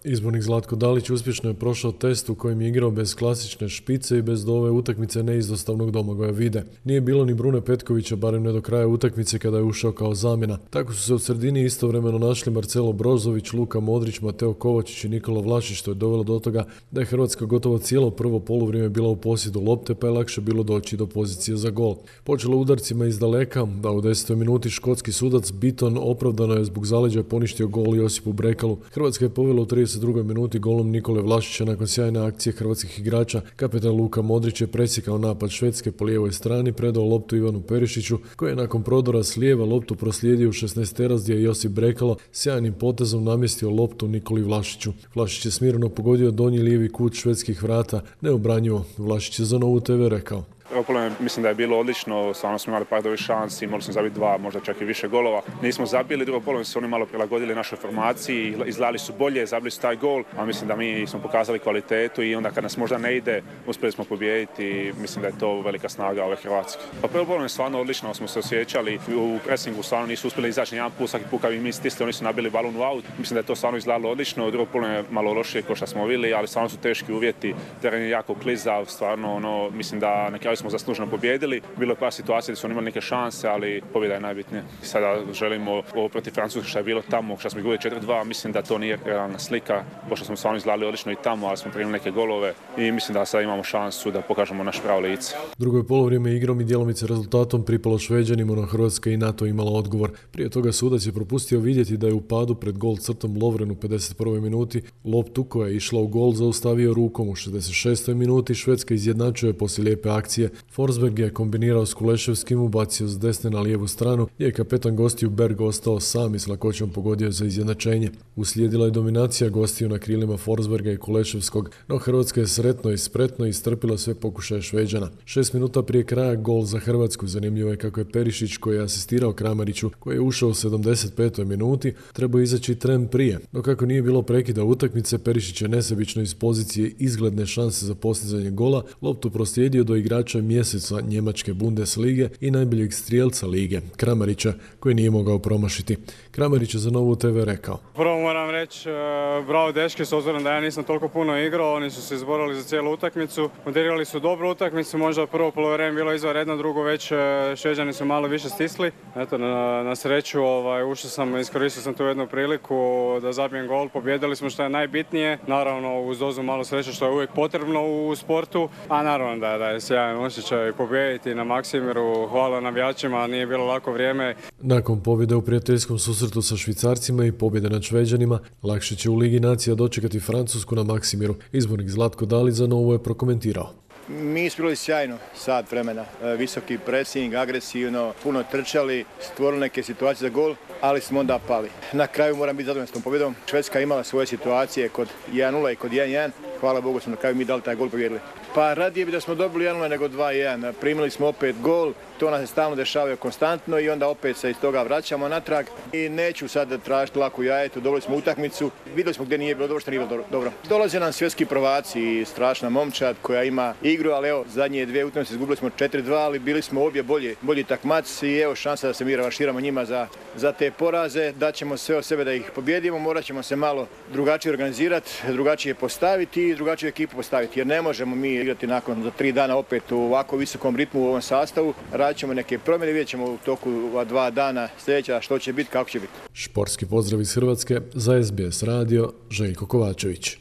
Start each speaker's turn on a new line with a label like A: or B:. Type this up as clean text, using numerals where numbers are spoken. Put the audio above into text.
A: Izbornik Zlatko Dalić uspješno je prošao test u kojem je igrao bez klasične špice i bez do ove utakmice neizostavnog Domagoja Vide. Nije bilo ni Brune Petkovića, barem ne do kraja utakmice kada je ušao kao zamjena. Tako su se u sredini istovremeno našli Marcelo Brozović, Luka Modrić, Mateo Kovačić i Nikola Vlašić, što je dovelo do toga da je Hrvatska gotovo cijelo prvo poluvrijeme bila u posjedu lopte, pa je lakše bilo doći do pozicije za gol. Počelo udarcima iz daleka, da u 10. minuti škotski sudac Biton opravdano je zbog zaleđa poništio gol Josipu Brekalu. Hrvatska je povela u 32. minuti golom Nikole Vlašića nakon sjajne akcije hrvatskih igrača. Kapetan Luka Modrić je presjekao napad Švedske po lijevoj strani, predao loptu Ivanu Perišiću, koji je nakon prodora s lijeva loptu proslijedio u 16-terac gdje je Josip Brekalo sjajnim potezom namjestio loptu Nikoli Vlašiću. Vlašić je smirno pogodio donji lijevi kut švedskih vrata, neobranjivo. Vlašić je za Novu TV rekao:
B: Mislim da je bilo odlično, stvarno smo imali par dobrih šansi, mogli smo zabiti dva, možda čak i više golova. Nismo zabili, drugo polovreme su oni malo prilagodili našoj formaciji, izgledali su bolje, zabili su taj gol, a mislim da mi smo pokazali kvalitetu i onda kad nas možda ne ide, uspjeli smo pobijediti i mislim da je to velika snaga ove Hrvatske. Pa prvo polovreme stvarno odlično smo se osjećali, u presingu stvarno nisu uspjeli izaći jedan put, svaki put kad bi mi stisli, oni su nabili balun u aut. Mislim da je to stvarno izgledalo odlično, drugo polovreme malo lošije kao što smo vidjeli, ali stvarno su teški uvjeti, teren je jako klizav, stvarno mislim da na kraju smo zasluženo pobijedili. Bilo je par situacija gdje su oni imali neke šanse, ali pobjeda je najbitnija. Sada želimo ovo protiv Francuske što je bilo tamo, što smo izgubili 4-2, mislim da to nije realna slika, pošto smo stvarno izgledali odlično i tamo, ali smo primili neke golove i mislim da sada imamo šansu da pokažemo naš pravo lice.
A: Drugo je polovrijeme igrom i djelomice rezultatom pripalo Šveđanima, no Hrvatska i NATO imala odgovor. Prije toga sudac je propustio vidjeti da je u padu pred gol crtom Lovren u 51. minuti loptu koja je išla u gol zaustavio rukom. U 66. minuti Švedska izjednačuje poslije lijepe akcije. Forsberg je kombinirao s Kuleševskim, ubacio s desne na lijevu stranu, gdje je kapetan gostiju Berg ostao sam i s lakoćom pogodio za izjednačenje. Uslijedila je dominacija gostiju na krilima Forsberga i Kuleševskog, no Hrvatska je sretno i spretno istrpila sve pokušaje Šveđana. 6 minuta prije kraja gol za Hrvatsku. Zanimljivo je kako je Perišić, koji je asistirao Kramariću, koji je ušao u 75. minuti, trebao izaći tren prije. No kako nije bilo prekida utakmice, Perišić je nesebično iz pozicije izgledne šanse za postizanje gola loptu proslijedio do igrača mjeseca njemačke Bundeslige i najboljeg strijelca lige, Kramarića, koji nije mogao promašiti. Kramarić je za Novu TV rekao:
C: Prvo moram reći bravo dečki, s obzirom da ja nisam toliko puno igrao, oni su se izborili za cijelu utakmicu, odigrali su dobru utakmicu, možda prvo polovreme bilo izvanredno, drugo već Šveđani su malo više stisli. Eto, na sreću iskoristio sam tu jednu priliku da zabijem gol, pobjedili smo što je najbitnije, naravno uz dozu malo sreće što je uvijek potrebno u sportu, a naravno da je sjajan osjećaj pobijediti na Maksimiru. Hvala navijačima, nije bilo lako vrijeme.
A: Nakon pobjede u prijateljskom susretu sa Švicarcima i pobjede nad Šveđanima, lakše će u Ligi nacija dočekati Francusku na Maksimiru. Izbornik Zlatko Dalić za Novu je prokomentirao:
D: Mi smo bili sjajno sat vremena, visoki pressing, agresivno, puno trčali, stvorili neke situacije za gol, ali smo onda pali. Na kraju moram biti zadovoljan s tom pobjedom. Švedska imala svoje situacije kod 1-0 i kod 1-1. Hvala Bogu smo na kraju mi dali taj gol i pobjedili. Pa radije bi da smo dobili 1-0 nego 2-1. Primili smo opet gol, to nas se stalno dešavaju konstantno i onda opet se iz toga vraćamo natrag. I neću sad tražiti laku jajetu, dobili smo utakmicu, vidjeli smo gdje nije bilo dobro, što nije bilo dobro. Dolaze nam svjetski prvaci i strašna momčad koja ima igru, ali evo, zadnje dvije utakmice izgubili smo 4-2, ali bili smo obje bolji takmac i evo šansa da se mi revanširamo njima za te poraze. Daćemo sve od sebe da ih pobjedimo, morat ćemo se malo drugačije organizirati, drugačije postaviti i drugačiju ekipu postaviti, jer ne možemo mi igrati nakon za 3 dana opet u ovako visokom ritmu u ovom sastavu. Radit ćemo neke promjene, vidjet ćemo u toku 2 dana sljedeća što će biti, kako će biti.
A: Športski pozdrav iz Hrvatske za SBS radio, Željko Kovačević.